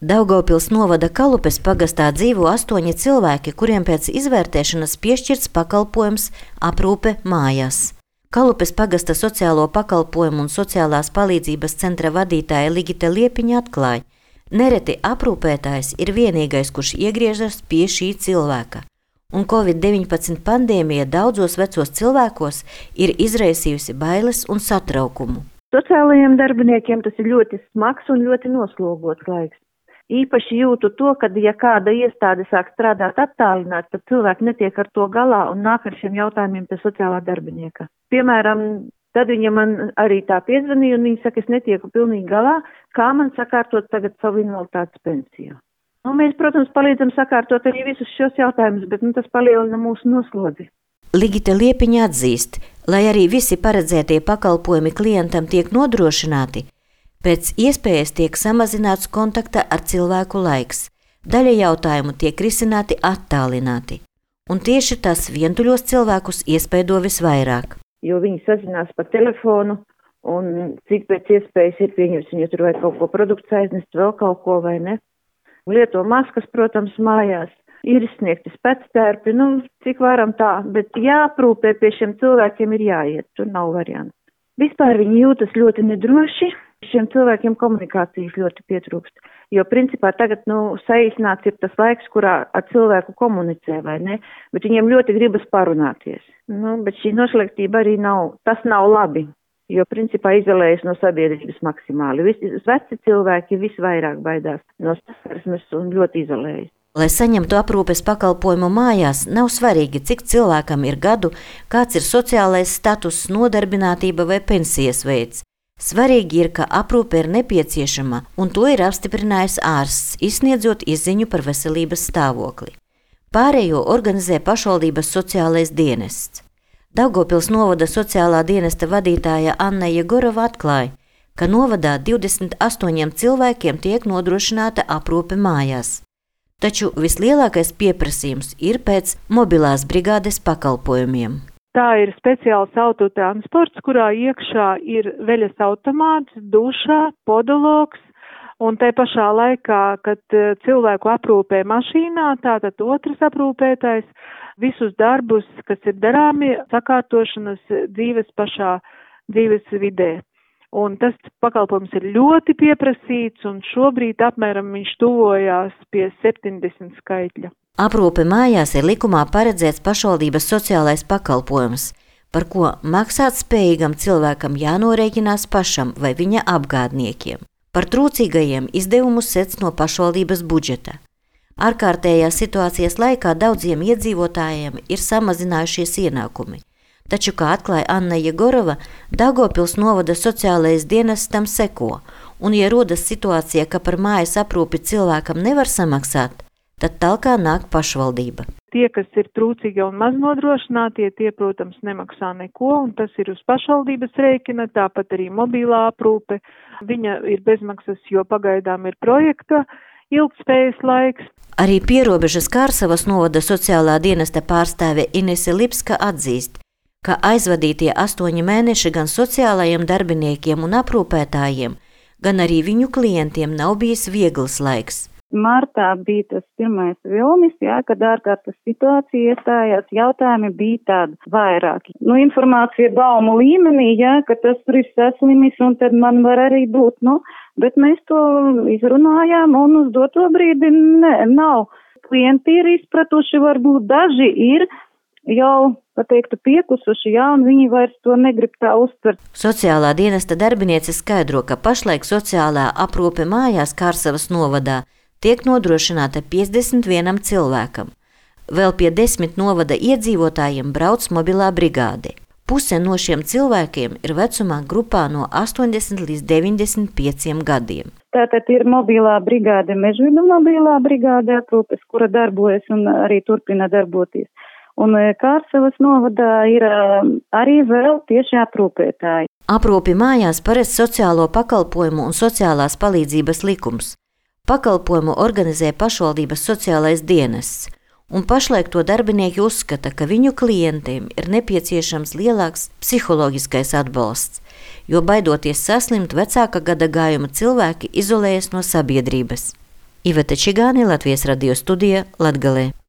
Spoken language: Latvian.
Daugavpils novada Kalupes pagastā dzīvo 8 cilvēki, kuriem pēc izvērtēšanas piešķirts pakalpojums aprūpe mājās. Kalupes pagasta sociālo pakalpojumu un sociālās palīdzības centra vadītāja Ligita Liepiņa atklāja, nereti aprūpētājs ir vienīgais, kurš iegriežas pie šī cilvēka. Un Covid-19 pandēmija daudzos vecos cilvēkos ir izraisījusi bailes un satraukumu. Sociālajiem darbiniekiem tas ir ļoti smags un ļoti noslogots laiks. Īpaši jūtu to, ka, ja kāda iestāde sāk strādāt attālināt, tad cilvēki netiek ar to galā un nāk ar šiem jautājumiem pie sociālā darbinieka. Piemēram, tad viņa man arī tā piezvanīja un viņa saka, es netieku pilnīgi galā, kā man sakārtot tagad savu invaliditātes pensiju. Mēs, protams, palīdzam sakārtot arī visus šos jautājumus, bet tas palielina mūsu noslodzi. Ligita Liepiņa atzīst, lai arī visi paredzētie pakalpojumi klientam tiek nodrošināti, pēc iespējas tiek samazināts kontakta ar cilvēku laiks. Daļa jautājumu tiek risināti attālināti. Un tieši tas vientuļos cilvēkus iespaido visvairāk. Jo viņi sazinās pa telefonu un cik pēc iespējas ir pieņems, viņi tur vai kaut ko produkts aiznest, vēl kaut ko vai ne. Lieto maskas, protams, mājās. Ir izsniegti spēctērpi, cik varam tā, bet jāprūpē pie šiem cilvēkiem ir jāiet, tur nav variantu. Vispār viņi jūtas ļoti nedroši. Šiem cilvēkiem komunikācijas ļoti pietrūkst, jo principā tagad saīsināts ir tas laiks, kurā ar cilvēku komunicē, vai ne, bet viņiem ļoti gribas parunāties. Bet šī noslēgtība arī tas nav labi, jo principā izolējas no sabiedrības maksimāli. Veci cilvēki visvairāk baidās no saskarsmes un ļoti izolējas. Lai saņemtu aprūpes pakalpojumu mājās, nav svarīgi, cik cilvēkam ir gadu, kāds ir sociālais status, nodarbinātība vai pensijas veids. Svarīgi ir, ka aprūpe ir nepieciešama, un to ir apstiprinājis ārsts, izsniedzot izziņu par veselības stāvokli. Pārējo organizē pašvaldības sociālais dienests. Daugavpils novada sociālā dienesta vadītāja Anna Jegorova atklāja, ka novadā 28 cilvēkiem tiek nodrošināta aprūpe mājās. Taču vislielākais pieprasījums ir pēc mobilās brigādes pakalpojumiem. Tā ir speciāls autotransports, kurā iekšā ir veļas automāts, dušā, podologs, un te pašā laikā, kad cilvēku aprūpē mašīnā, tātad otrs aprūpētājs, visus darbus, kas ir darāmi, sakārtošanas dzīves vidē. Un tas pakalpojums ir ļoti pieprasīts, un šobrīd apmēram viņš tuvojās pie 70 skaitļa. Aprūpe mājās ir likumā paredzēts pašvaldības sociālais pakalpojums, par ko maksāt spējīgam cilvēkam jānorēķinās pašam vai viņa apgādniekiem. Par trūcīgajiem izdevumus sedz no pašvaldības budžeta. Ārkārtējās situācijas laikā daudziem iedzīvotājiem ir samazinājušies ienākumi. Taču, kā atklāja Anna Jegorova, Daugavpils novada sociālais dienests tam seko, un ja rodas situācija, ka par mājas aprūpi cilvēkam nevar samaksāt, tad talkā nāk pašvaldība. Tie, kas ir trūcīgi un maz nodrošinātie, tie, protams, nemaksā neko, un tas ir uz pašvaldības rēķina, tāpat arī mobilā aprūpe. Viņa ir bezmaksas, jo pagaidām ir projekta ilgtspējas laiks. Arī Pierobežas Kārsavas novada sociālā dienesta pārstāve Inese Lipska atzīst, ka aizvadītie 8 mēneši gan sociālajiem darbiniekiem un aprūpētājiem, gan arī viņu klientiem nav bijis viegls laiks. Martā bija tas pirmais vilnis, kad ārkārtas situācija iestājās, jautājumi bija tādi vairāki. Informācija baumu līmenī, ka tas ir saslimis un tad man var arī būt, bet mēs to izrunājām un uz doto brīdi nav. Klienti ir izpratuši, varbūt daži ir jau, piekusuši, un viņi vairs to negrib tā uztvert. Sociālā dienesta darbiniece skaidro, ka pašlaik sociālā aprūpe mājās Kārsavas novadā tiek nodrošināta 51 cilvēkam. Vēl pie 10 novada iedzīvotājiem brauc mobilā brigāde. Puse no šiem cilvēkiem ir vecumā grupā no 80 līdz 95 gadiem. Tātad ir mobilā brigāde, Mežvidu mobilā brigāde aprūpes, kura darbojas un arī turpina darboties. Un Kārsavas novadā ir arī vēl tieši aprūpētāji. Aprūpi mājās paredz sociālo pakalpojumu un sociālās palīdzības likums. Pakalpojumu organizē pašvaldības sociālais dienests, un pašlaik to darbinieki uzskata, ka viņu klientiem ir nepieciešams lielāks psiholoģiskais atbalsts, jo baidoties saslimt vecāka gada gājuma cilvēki izolējas no sabiedrības. Iveta Čigāne, Latvijas radio studija, Latgalē.